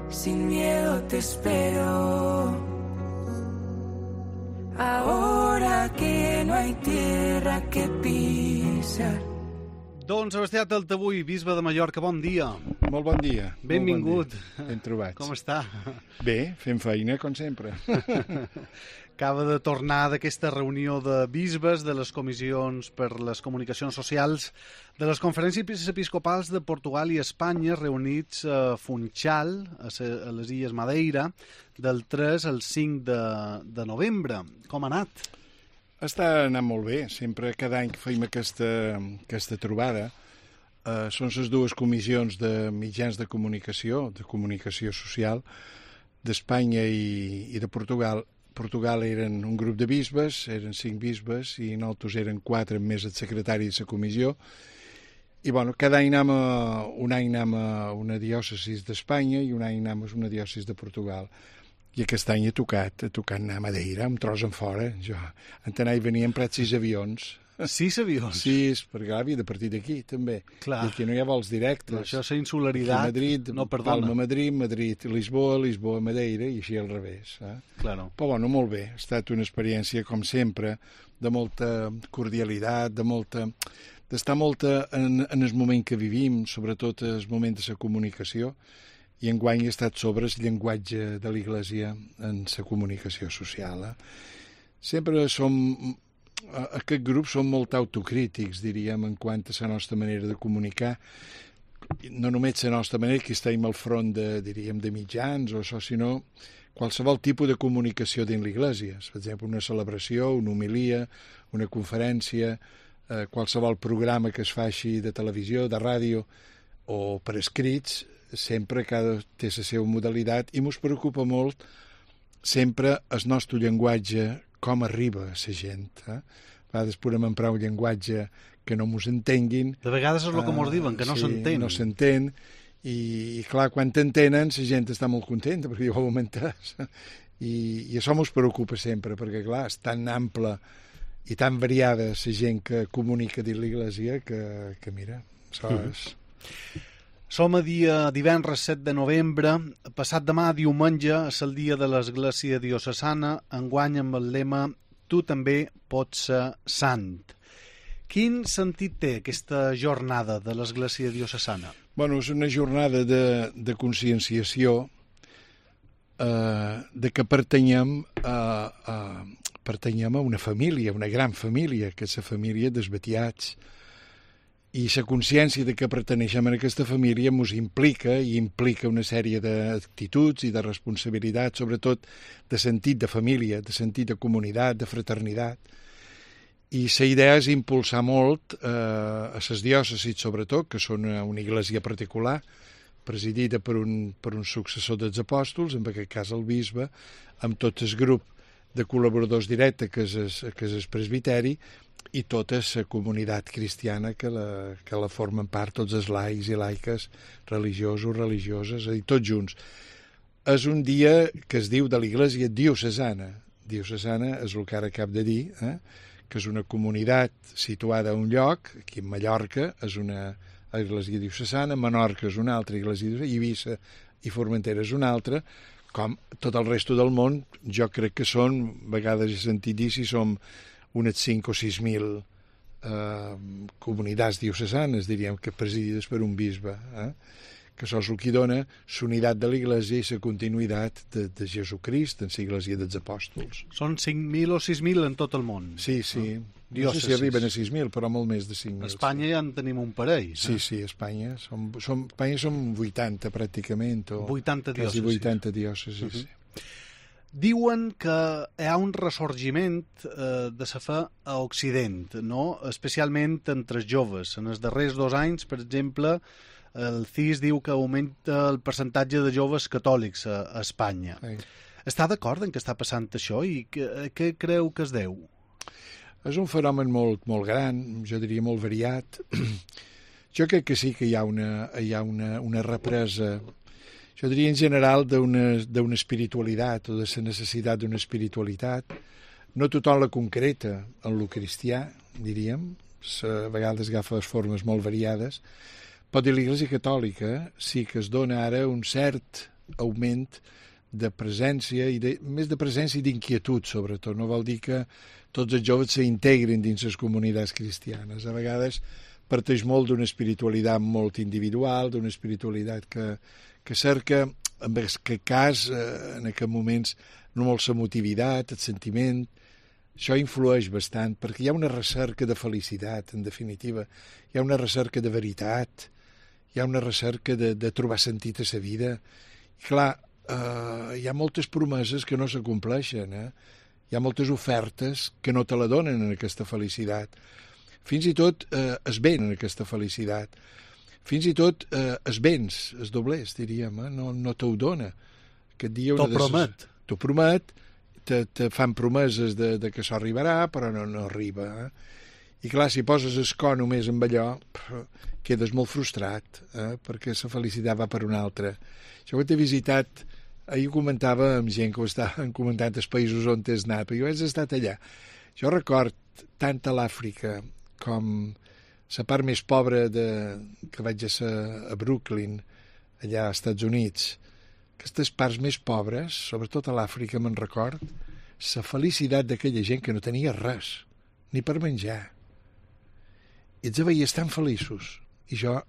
sin miedo te espero. Ahora que no hay tierra que pisar. Don Sebastià Taltabull, bisbe de Mallorca, bon dia. Molt bon dia. Benvingut. Molt bon dia. Ben trobats. Com està? Bé, fent feina, com sempre. Acaba de tornar d'aquesta reunió de bisbes, de les comissions per les comunicacions socials, de les conferències episcopals de Portugal i Espanya, reunits a Funchal, a les Illes Madeira, del 3 al 5 de novembre. Com ha anat? Està anant molt bé. Sempre, cada any que fem aquesta trobada, són les dues comissions de mitjans de comunicació social, d'Espanya i de Portugal. Portugal eren un grup de bisbes, eren 5 bisbes, i nosaltres eren 4, més el secretari de la comissió. I bueno, cada any un any anem a una diòcesi d'Espanya i un any anem a una diòcesi de Portugal. I aquest any he tocat anar a Madeira, un tros en fora. Jo, en tant, hi venien prats 6 avions. 6 avions? 6, perquè havia de partir d'aquí, també. Clar. I aquí no hi ha vols directes. Però això és la insularitat. Madrid, no perdona. Palma, Madrid, Lisboa, Madeira, i així al revés. Claro. Però bueno, molt bé. Ha estat una experiència, com sempre, de molta cordialitat, d'estar molt en el moment que vivim, sobretot en el moment de la comunicació, i enguany ha estat sobre el llenguatge de l'Església en la comunicació social. Sempre aquest grup som molt autocrítics, diríem, en quant a la nostra manera de comunicar. No només la nostra manera, que estem al front de mitjans o això, sinó qualsevol tipus de comunicació dins l'Església. Per exemple, una celebració, una homilia, una conferència, qualsevol programa que es faci de televisió, de ràdio o per escrits, sempre cada té la seva modalitat, i ens preocupa molt sempre el nostre llenguatge, com arriba a la gent. A vegades podem emprar un llenguatge que no ens entenguin. De vegades és el que ens diuen, que no s'entén. Sí, no s'entén, i clar, quan t'entenen, la gent està molt contenta, perquè ja ho hem entès. I això ens preocupa sempre, perquè clar, és tan ample i tan variada la gent que comunica dins l'Església que mira, això és... Som a divendres 7 de novembre, passat demà diumenge és el dia de l'Església Diocesana, enguany amb el lema «Tu també pots ser sant». Quin sentit té aquesta jornada de l'Església Diocesana? Bueno, és una jornada de conscienciació de que pertanyem a una família, una gran família, que és la família dels beatiats. I la consciència de que perteneixem a aquesta família ens implica una sèrie d'actituds i de responsabilitats, sobretot de sentit de família, de sentit de comunitat, de fraternitat. I la idea és impulsar molt a les diòcesis, sobretot, que són una església particular, presidida per un successor dels apòstols, en aquest cas el bisbe, amb tot el grup de col·laboradors directes, que és el presbiteri, i tota la comunitat cristiana que la formen part, tots els laics i laiques, religiosos, religioses, és a dir, tots junts. És un dia que es diu de l'Església Diocesana. Diocesana és el que ara acabo de dir, que és una comunitat situada a un lloc, aquí a Mallorca és una Església Diocesana, Menorca és una altra Església Diocesana, Eivissa i Formentera és una altra, com tot el resto del món. Jo crec que són, a vegades he sentit dir, si som unes 5 o 6.000 comunitats diocesanes, diríem, que presidides per un bisbe, que això és el que dona l'unitat de l'Església i la continuïtat de Jesucrist en l'Església dels Apòstols. Són 5.000 o 6.000 en tot el món. Sí. No sé si arriben a 6.000, però molt més de 5.000. A Espanya ja en tenim un parell. Sí, a Espanya. Espanya som 80, pràcticament. 80 diòcesis. Quasi 80 diòcesis, sí. Diuen que hi ha un ressorgiment de la fe a Occident, no? Especialment entre els joves. En els darrers 2 anys, per exemple, el CIS diu que augmenta el percentatge de joves catòlics a Espanya. Sí. Està d'acord en què està passant això i què creu que es deu? És un fenomen molt, molt gran, jo diria molt variat. Jo crec que sí que hi ha una represa, jo diria en general, d'una espiritualitat o de la necessitat d'una espiritualitat. No tothom la concreta en lo cristià, diríem, a vegades agafa formes molt variades, però de l'Església Catòlica sí que es dona ara un cert augment de presència, més de presència i d'inquietud, sobretot. No vol dir que tots els joves s'integrin dins les comunitats cristianes. A vegades parteix molt d'una espiritualitat molt individual, d'una espiritualitat que cerca, en aquest cas, en aquests moments, no molt l'emotivitat, el sentiment. Això influeix bastant, perquè hi ha una recerca de felicitat, en definitiva. Hi ha una recerca de veritat, hi ha una recerca de trobar sentit a la vida. I clar, hi ha moltes promeses que no s'acompleixen, Hi ha moltes ofertes que no te la donen en aquesta felicitat. Fins i tot es ven en aquesta felicitat. Fins i tot es béns, es doblers, diríem, no t'ho dona. T'ho promet. T'ho promet, te fan promeses de que això arribarà, però no arriba. I clar, si poses el cor només amb allò, quedes molt frustrat, perquè la felicitat va per una altra. Jo que t'he visitat, ahir ho comentava amb gent que ho estaven comentant els països on t'has anat, perquè jo he estat allà. Jo record tant a l'Àfrica com la part més pobra que vaig ser a Brooklyn, allà als Estats Units. Aquestes parts més pobres, sobretot a l'Àfrica, me'n record, la felicitat d'aquella gent que no tenia res, ni per menjar. I els veies tan feliços. I jo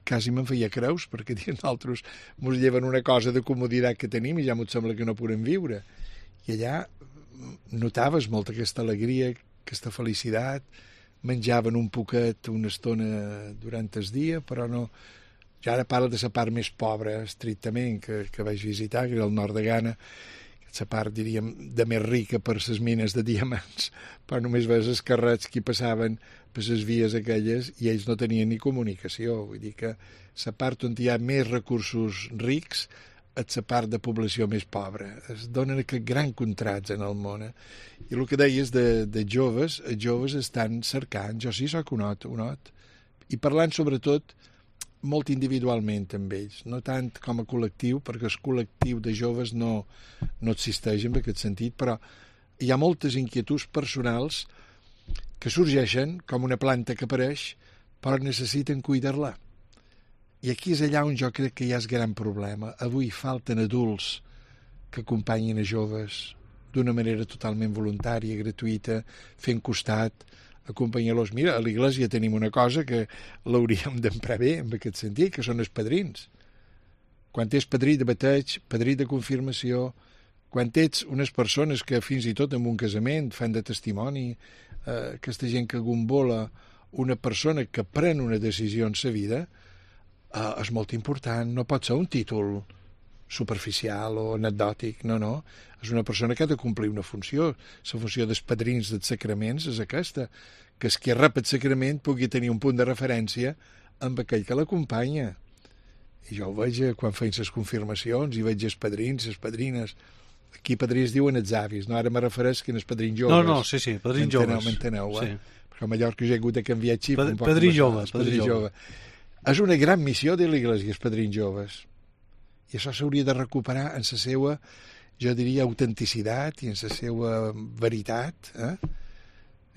quasi me'n feia creus, perquè nosaltres ens lleven una cosa de comoditat que tenim i ja m'ho sembla que no podem viure. I allà notaves molt aquesta alegria, aquesta felicitat, menjaven un poquet una estona durant el dia, però no... Jo ara parlo de la part més pobra, estrictament, que vaig visitar, que era el nord de Ghana, la part, diríem, de més rica per les mines de diamants, però només veus els carrets que passaven per les vies aquelles i ells no tenien ni comunicació. Vull dir que la part on hi ha més recursos rics és la part de població més pobra. Es donen aquest gran contrast en el món. I el que deies de joves, els joves estan cercant, jo sí soc un not, i parlant sobretot molt individualment amb ells, no tant com a col·lectiu, perquè el col·lectiu de joves no existeix en aquest sentit, però hi ha moltes inquietuds personals que sorgeixen com una planta que apareix, però necessiten cuidar-la. I aquí és allà on jo crec que hi ha el gran problema. Avui falten adults que acompanyin a joves d'una manera totalment voluntària, gratuïta, fent costat, acompanyar-los. Mira, a l'Església tenim una cosa que l'hauríem d'emprar bé, en aquest sentit, que són els padrins. Quan ets padrí de bateig, padrí de confirmació, quan ets unes persones que fins i tot en un casament fan de testimoni, aquesta gent que gombola una persona que pren una decisió en sa vida, és molt important. No pot ser un títol superficial o anecdòtic, no. És una persona que ha de complir una funció. La funció dels padrins dels sacraments és aquesta, que qui rep el sacrament pugui tenir un punt de referència amb aquell que l'acompanya. I jo ho veig quan feien les confirmacions i veig els padrins, les padrines. Aquí padrins diuen els avis, no? Ara me refereix que en els padrins joves. No, sí, padrins joves. M'enteneu, sí. Perquè a Mallorca jo he hagut de canviar xip. Padrí jove. És una gran missió de l'Església, els padrins joves. I això s'hauria de recuperar en la seva, jo diria, autenticitat i en la seva veritat.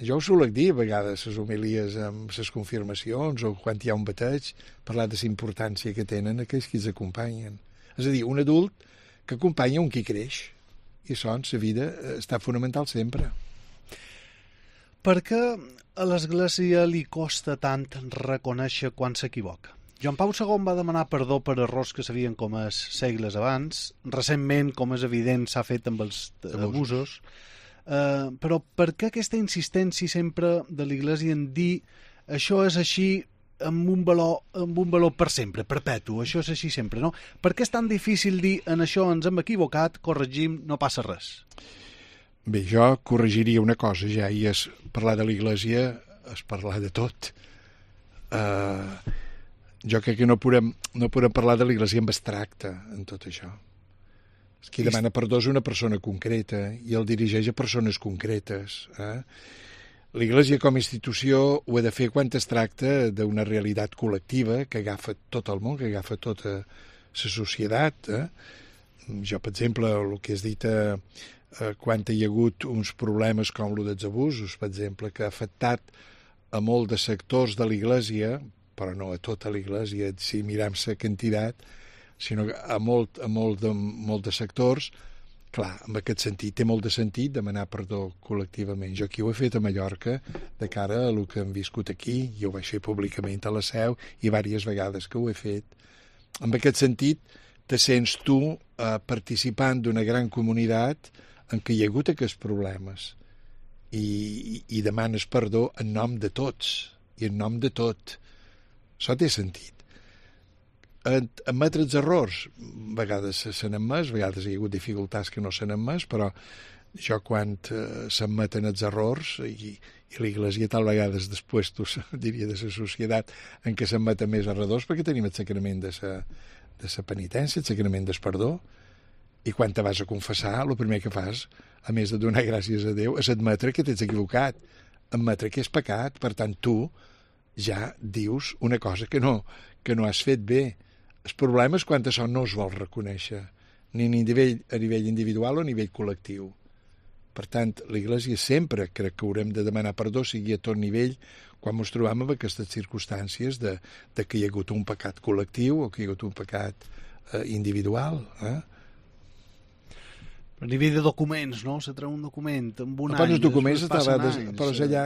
Jo ho solec dir a vegades, les homilies amb les confirmacions o quan hi ha un bateig, parlar de la importància que tenen aquells que els acompanyen. És a dir, un adult que acompanya un qui creix. I això en la vida està fonamental sempre. Per què a l'Església li costa tant reconèixer quan s'equivoca? Joan Pau II va demanar perdó per errors que s'havien comès segles abans. Recentment, com és evident, s'ha fet amb els abusos. Però per què aquesta insistència sempre de l'Església en dir això és així amb un valor per sempre, perpetu, això és així sempre, no? Per què és tan difícil dir en això ens hem equivocat, corregim, no passa res? Bé, jo corregiria una cosa ja, i és parlar de l'Església, és parlar de tot. Jo crec que no podem parlar de l'Església en abstracte en tot això. Qui demana perdó és una persona concreta i el dirigeix a persones concretes. L'Església com a institució ho ha de fer quan es tracta d'una realitat col·lectiva que agafa tot el món, que agafa tota la societat. Jo, per exemple, el que has dit quan hi ha hagut uns problemes com el dels abusos, per exemple, que ha afectat a molts de sectors de l'Església, però no a tota l'Església, si mirem la quantitat, sinó que a molt de sectors, clar, en aquest sentit té molt de sentit demanar perdó col·lectivament. Jo aquí ho he fet a Mallorca de cara a el que hem viscut aquí, i ho vaig fer públicament a la Seu i diverses vegades que ho he fet. En aquest sentit, te sents tu participant d'una gran comunitat en què hi ha hagut aquests problemes i demanes perdó en nom de tots i en nom de tot. Això té sentit. Admetre els errors, a vegades s'han admès, a vegades hi ha hagut dificultats que no s'han admès, però jo quan s'admeten els errors i l'Iglésia tal vegades després, tu diria, de la societat en què s'admeten més errors, perquè tenim el sacrament de la penitència, el sacrament del perdó, i quan te vas a confessar, el primer que fas, a més de donar gràcies a Déu, és admetre que t'ets equivocat, admetre que és pecat, per tant tu ja dius una cosa que no has fet bé. El problema és quan això no es vol reconèixer, ni a nivell individual o a nivell col·lectiu. Per tant, l'Església sempre crec que haurem de demanar perdó, sigui a tot nivell, quan ens trobem en aquestes circumstàncies de que hi ha hagut un pecat col·lectiu o que hi ha hagut un pecat individual. A nivell de documents, no? Se treu un document amb un any... Els documents però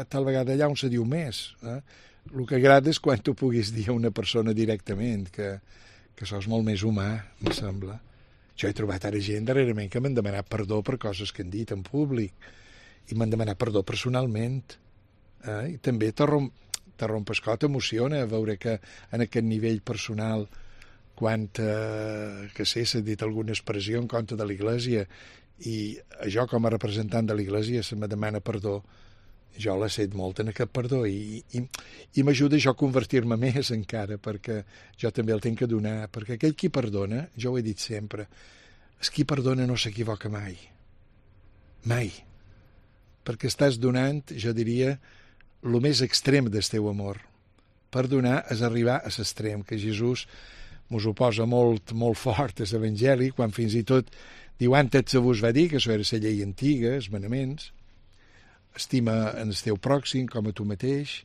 tal vegada allà on se diu més. El que agrada és quan tu puguis dir a una persona directament que això és molt més humà, em sembla. Jo he trobat ara gent darrerament que m'han demanat perdó per coses que han dit en públic i m'han demanat perdó personalment. I també te rompes cor, t'emociona veure que en aquest nivell personal, quan s'ha dit alguna expressió en contra de l'Església i jo com a representant de l'Església se me demana perdó, jo l'he set molt en aquest perdó i m'ajuda jo a convertir-me més encara, perquè jo també el tinc que donar, perquè aquell qui perdona, jo ho he dit sempre, és qui perdona no s'equivoca mai, perquè estàs donant, jo diria, el més extrem del teu amor. Perdonar és arribar a l'extrem, que Jesús mos ho posa molt, molt fort a l'Evangeli, quan fins i tot diu, antes se vos va dir, que això era la llei antiga, els manaments, estima en el teu pròxim com a tu mateix,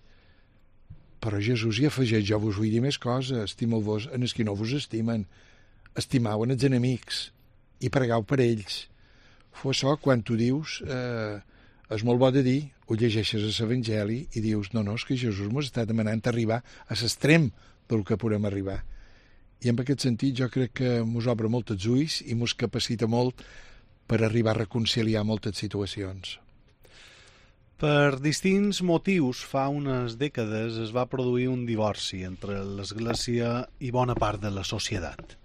però Jesús hi afegeix, jo vos vull dir més coses, estimeu-vos en els que no vos estimen, estimau en els enemics i pregueu per ells. Això, quan tu dius, és molt bo de dir, ho llegeixes a l'Evangeli i dius, no, és que Jesús m'ho està demanant arribar a l'extrem del que podem arribar. I en aquest sentit jo crec que mos obre molt els ulls i mos capacita molt per arribar a reconciliar moltes situacions. Per distints motius, fa unes dècades es va produir un divorci entre l'Església i bona part de la societat.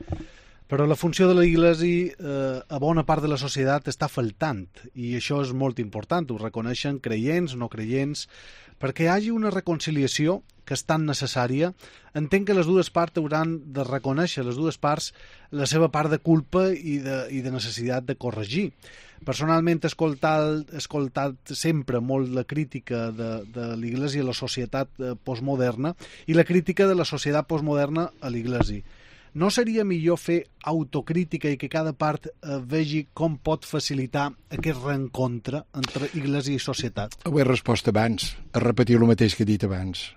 Però la funció de l'Església a bona part de la societat està faltant, i això és molt important, ho reconeixen creients, no creients. Perquè hi hagi una reconciliació que és tan necessària, entenc que les dues parts hauran de reconèixer, les dues parts, la seva part de culpa i de necessitat de corregir. Personalment he escoltat sempre molt la crítica de l'Església a la societat postmoderna i la crítica de la societat postmoderna a l'Església. No seria millor fer autocrítica i que cada part vegi com pot facilitar aquest reencontre entre Església i societat? Ho he respost abans, a repetir el mateix que he dit abans.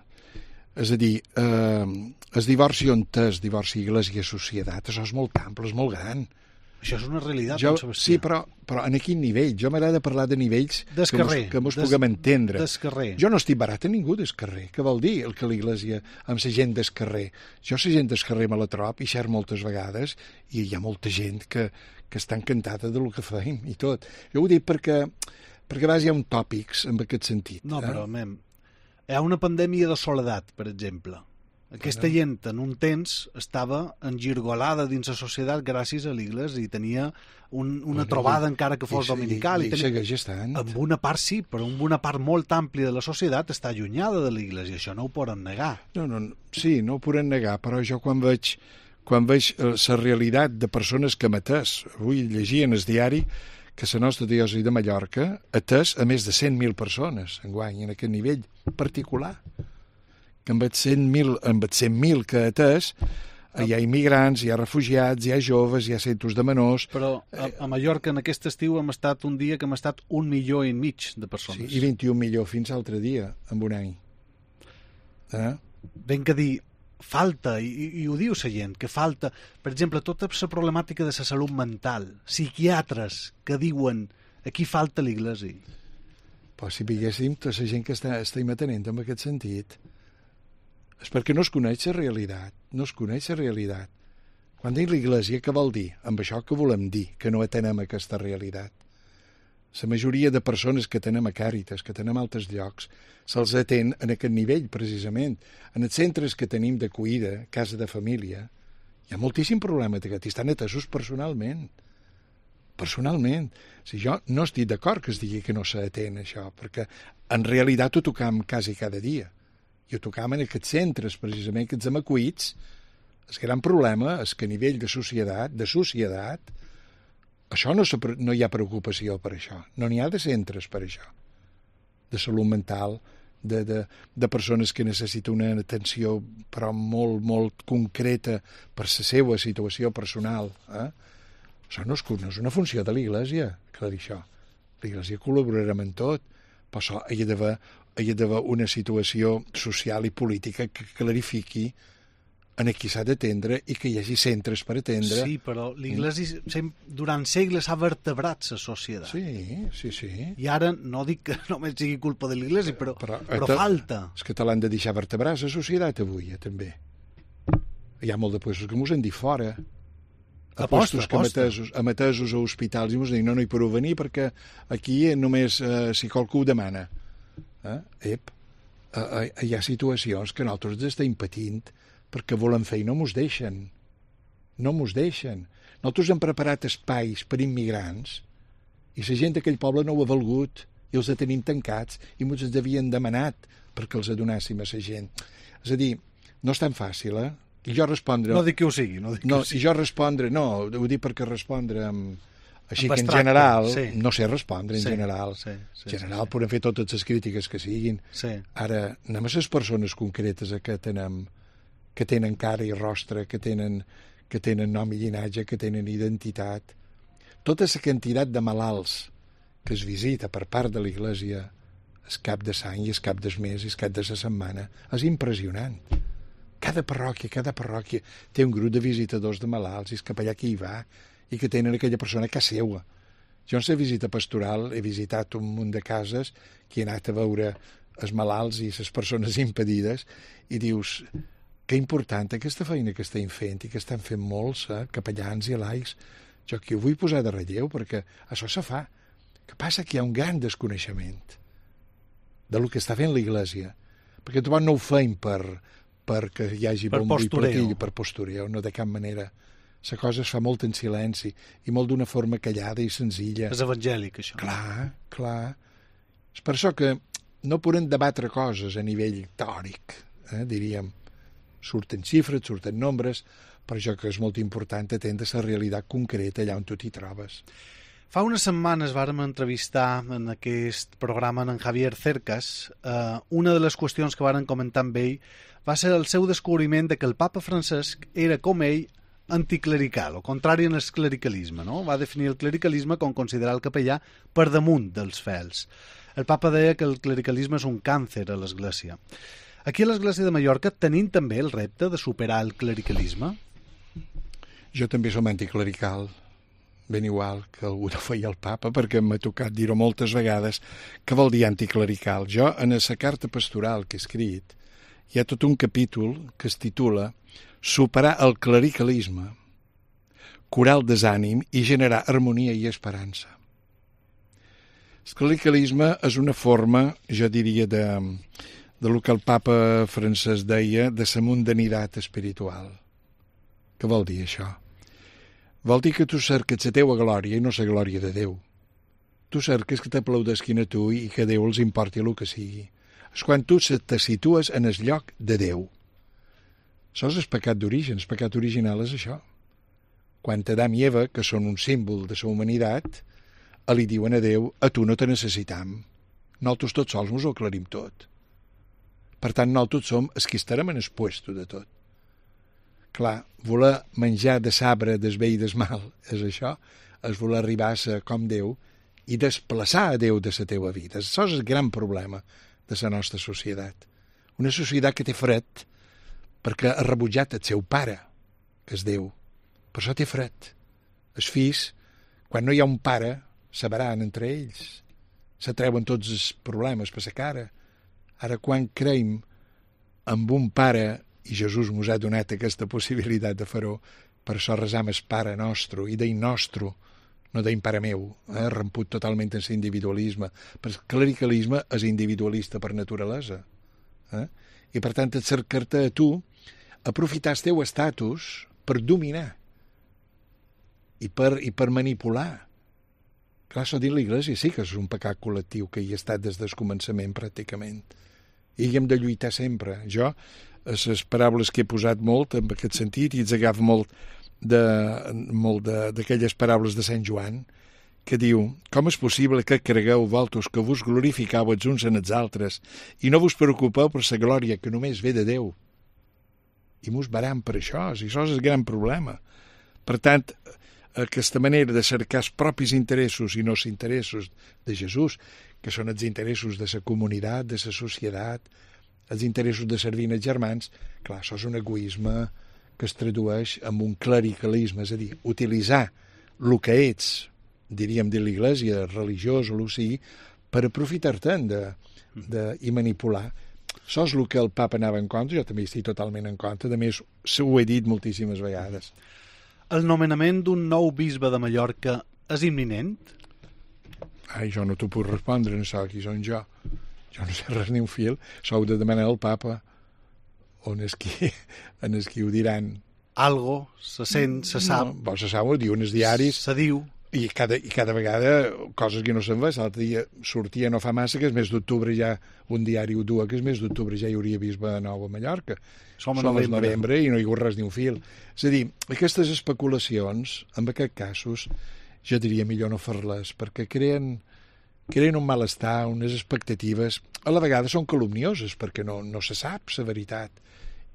És a dir, el divorci on és divorci Església-societat, això és molt ample, és molt gran. Això és una realitat, Sebastià. Sí, però en quin nivell? Jo m'agrada parlar de nivells que mos puguem entendre. Jo no estic barat a ningú del carrer. Què vol dir el que l'Església amb la gent del carrer? Jo la gent del carrer me la trob i xer moltes vegades i hi ha molta gent que està encantada del que feim i tot. Jo ho dic perquè a vegades hi ha un tòpics en aquest sentit. No, però, hi ha una pandèmia de soledat, per exemple. Aquesta gent en un temps estava engirgolada dins la societat gràcies a l'Església i tenia una trobada encara que fos dominical. I segueix estant. Amb una part sí, però amb una part molt àmplia de la societat està allunyada de l'Església. Això no ho poden negar. Sí, no ho poden negar, però jo quan veig la realitat de persones que hem atès, avui llegia en el diari que la nostra diòcesi de Mallorca ha atès a més de 100.000 persones enguany en aquest nivell particular. Que amb els 100.000 que ha atès hi ha immigrants, hi ha refugiats, hi ha joves, hi ha centres de menors... Però a Mallorca en aquest estiu hem estat un dia que hem estat 1,5 milions de persones. Sí, i 21 milions fins l'altre dia, en un any. Ben que dir, falta, i ho diu la gent, que falta, per exemple, tota la problemàtica de la salut mental, psiquiatres que diuen aquí falta l'Iglésia. Però si veiéssim tota la gent que estem atenent en aquest sentit, és perquè no es coneix la realitat, no es coneix la realitat. Quan dic l'Iglésia, què vol dir? Amb això que volem dir, que no atenem aquesta realitat. La majoria de persones que tenem a Càritas, que tenem a altres llocs, se'ls atén en aquest nivell, precisament. En els centres que tenim d'acollida, casa de família, hi ha moltíssim problema d'aquest, i estan atesos personalment. Personalment. Si jo no estic d'acord que es digui que no s'atén això, perquè en realitat ho tocam quasi cada dia. I ho tocam en aquests centres, precisament, que ens hem acollits. El gran problema és que a nivell de societat, això no hi ha preocupació per això. No n'hi ha de centres per això. De salut mental, de persones que necessiten una atenció però molt, molt concreta per la seva situació personal. Això no és una funció de l'Iglésia, clar, això. L'Iglésia col·laborarà en tot, però això hi ha d'haver una situació social i política que clarifiqui en qui s'ha d'atendre i que hi hagi centres per atendre. Sí, però l'Iglésia durant segles ha vertebrat la societat. Sí. I ara no dic que només sigui culpa de l'Iglésia, però falta. És que te l'han de deixar vertebrar la societat avui, també. Hi ha molt de puestos que mos han dit fora. Apostos que atesos a hospitals i mos diuen no hi podeu venir perquè aquí només si qualcú ho demana. Hi ha situacions que nosaltres estem patint perquè volem fer i no mos deixen. No mos deixen. Nosaltres hem preparat espais per immigrants i la gent d'aquell poble no ho ha valgut i els tenim tancats i mos els havien demanat perquè els donàssim a la gent. És a dir, no és tan fàcil, I jo respondre... No dic que ho sigui. I jo respondre... No, ho dic perquè respondre així que en general... No sé respondre en general. En general podem fer totes les crítiques que siguin. Ara, anem a les persones concretes que tenen cara i rostre, que tenen nom i llinatge, que tenen identitat. Tota la quantitat de malalts que es visita per part de l'Iglésia el cap de l'any i el cap del mes i el cap de la setmana és impressionant. Cada parròquia té un grup de visitadors de malalts i el capellà que hi va i que tenen aquella persona a casa seva. Jo en la visita pastoral he visitat un munt de cases que he anat a veure els malalts i les persones impedides i dius... Que important aquesta feina que estem fent i que estan fent molts capellans i laics. Jo aquí ho vull posar de relleu perquè això se fa. Que passa que hi ha un gran desconeixement del que està fent l'Iglésia. Perquè trobar no ho feim perquè hi hagi bombo i platillo, per postureo, no de cap manera. La cosa es fa molt en silenci i molt d'una forma callada i senzilla. És evangèlic, això. Clar. És per això que no podem debatre coses a nivell teòric, diríem. Surten xifres, surten nombres, per això que és molt important atendre la realitat concreta allà on tu t'hi trobes. Fa unes setmanes vàrem entrevistar en aquest programa en Javier Cercas. Una de les qüestions que vàrem comentar amb ell va ser el seu descobriment de que el papa Francesc era, com ell, anticlerical, o contrari en el clericalisme, no? Va definir el clericalisme com considerar el capellà per damunt dels fels. El papa deia que el clericalisme és un càncer a l'Església. Aquí a l'Església de Mallorca tenim també el repte de superar el clericalisme? Jo també som anticlerical, ben igual que algú no feia el papa, perquè m'ha tocat dir-ho moltes vegades. Què vol dir anticlerical? Jo, en la carta pastoral que he escrit, hi ha tot un capítol que es titula Superar el clericalisme, curar el desànim i generar harmonia i esperança. El clericalisme és una forma, jo diria, de lo que el papa francès deia de la mundanitat espiritual. Què vol dir això? Vol dir que tu cerques la teua glòria i no la glòria de Déu. Tu cerques que t'aplaudesquin a tu i que Déu els importi el que sigui. És quan tu te situes en el lloc de Déu. Això és el pecat d'origen. El pecat original és això. Quan Adam i Eva, que són un símbol de la humanitat, li diuen a Déu, a tu no te necessitam. Nosaltres tots sols ens ho aclarim tot. Per tant, nosaltres som els que estarem en el puesto de tot. Clar, voler menjar de sabre del bé i del mal és això, és voler arribar a ser com Déu i desplaçar a Déu de la teva vida. Això és el gran problema de la nostra societat. Una societat que té fred perquè ha rebutjat el seu pare, que és Déu. Per això té fred. Els fills, quan no hi ha un pare, s'abaran entre ells. Se treuen tots els problemes per la cara. Ara, quan creiem en un pare, i Jesús mos ha donat aquesta possibilitat de fer-ho, per això resam el Pare nostre, i deim nostre, no deim Pare meu, ramput totalment en l'individualisme, perquè el clericalisme és individualista per naturalesa. I per tant, et cercar-te a tu, aprofitar el teu estatus per dominar i per manipular. Clar, això dins l'Església sí que és un pecat col·lectiu que hi ha estat des del començament, pràcticament. I hi hem de lluitar sempre. Jo, les paraules que he posat molt en aquest sentit, i ets agafo molt d'aquelles paraules de Sant Joan, que diu: com és possible que cregueu vosaltres que vos glorificau els uns en els altres i no vos preocupeu per la glòria que només ve de Déu? I mos baram per això, i això és el gran problema. Per tant, aquesta manera de cercar els propis interessos i no els interessos de Jesús, que són els interessos de la comunitat, de la societat, els interessos de servir els germans, clar, això és un egoisme que es tradueix en un clericalisme, és a dir, utilitzar el que ets, diríem de l'Església, religiós o el sigui, per aprofitar-te'n i manipular. Això és el que el papa anava en contra, jo també estic totalment en contra, a més, ho he dit moltíssimes vegades. El nomenament d'un nou bisbe de Mallorca és imminent? Ai, jo no t'ho puc respondre, no sé qui són jo. Jo no sé res ni un fil. Això ho de demanar al papa. On és qui ho diran. Algo, se sent, se sap. No, se sap, ho diuen els diaris. Se diu. I cada vegada coses que no se'n va. L'altre dia sortia no fa massa que és mes d'octubre ja, un diari ho dua, que és mes d'octubre ja hi hauria bisbe nou a Mallorca. Som a novembre i no hi ha res ni un fil. És a dir, aquestes especulacions, en aquests casos, jo diria millor no fer-les, perquè creen un malestar, unes expectatives, a la vegada són calumnioses, perquè no se sap la veritat.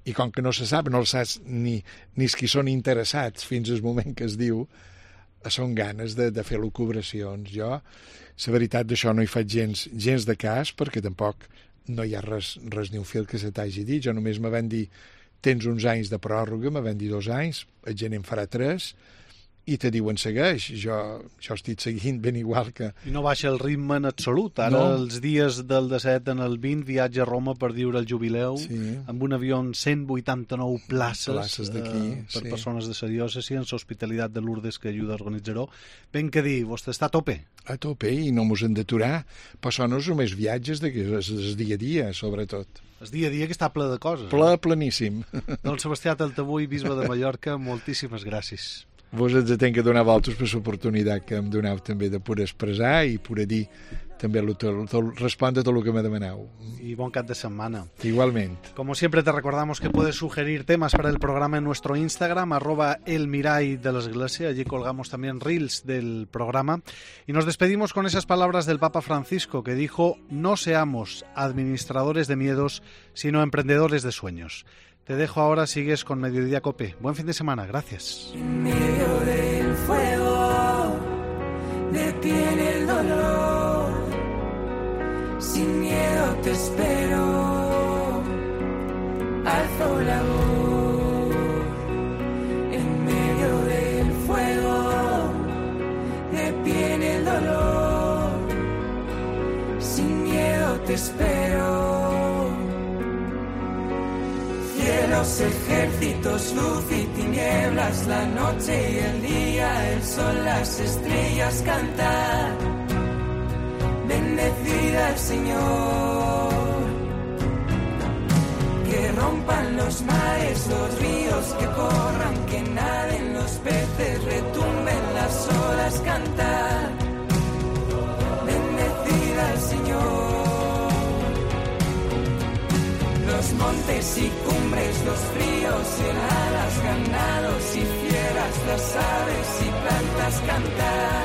I com que no se sap, no el saps ni els qui són interessats fins al moment que es diu, són ganes de fer lucubracions. Jo, la veritat d'això no hi faig gens de cas, perquè tampoc no hi ha res ni un fil que se t'hagi dit. Jo només me van dir, tens uns anys de pròrroga, me van dir 2 anys, el gener en farà 3, i te diuen segueix. Jo estic seguint ben igual que... I no baixa el ritme en absolut. Ara, no. Els dies del 17 en el 20, viatge a Roma per viure el jubileu, sí. Amb un avió amb 189 places d'aquí, per persones de la diòcesi, en l'Hospitalitat de Lourdes que ajuda a organitzar-ho. Ben que dir, vostè està a tope? A tope, i no mos hem d'aturar. Però són els només viatges, el dia a dia, sobretot. El dia a dia que està ple de coses. Pleníssim. Doncs Sebastià Taltabull, bisbe de Mallorca, moltíssimes gràcies. Vos ens tenc que donar a vosaltres per l'oportunitat que em doneu també de poder expressar i poder dir també respondre tot lo que me demaneu. Y bon cap de semana. Igualmente. Como siempre te recordamos que puedes sugerir temas para el programa en nuestro Instagram, @elmirai de la Iglesia. Allí colgamos también reels del programa. Y nos despedimos con esas palabras del Papa Francisco que dijo: no seamos administradores de miedos, sino emprendedores de sueños. Te dejo ahora, sigues con Mediodía Cope. Buen fin de semana, gracias. En medio del fuego detiene el dolor, sin miedo te espero, alzo la voz. En medio del fuego detiene el dolor, sin miedo te espero. Cielos, ejércitos, luz y tinieblas, la noche y el día, el sol, las estrellas cantar. Bendecida el Señor. Que rompan los mares, los ríos, que corran, que naden los peces, retumben las olas cantar. Bendecida el Señor. Los montes y cumbres, los ríos y heladas, ganados y fieras, las aves y plantas cantar.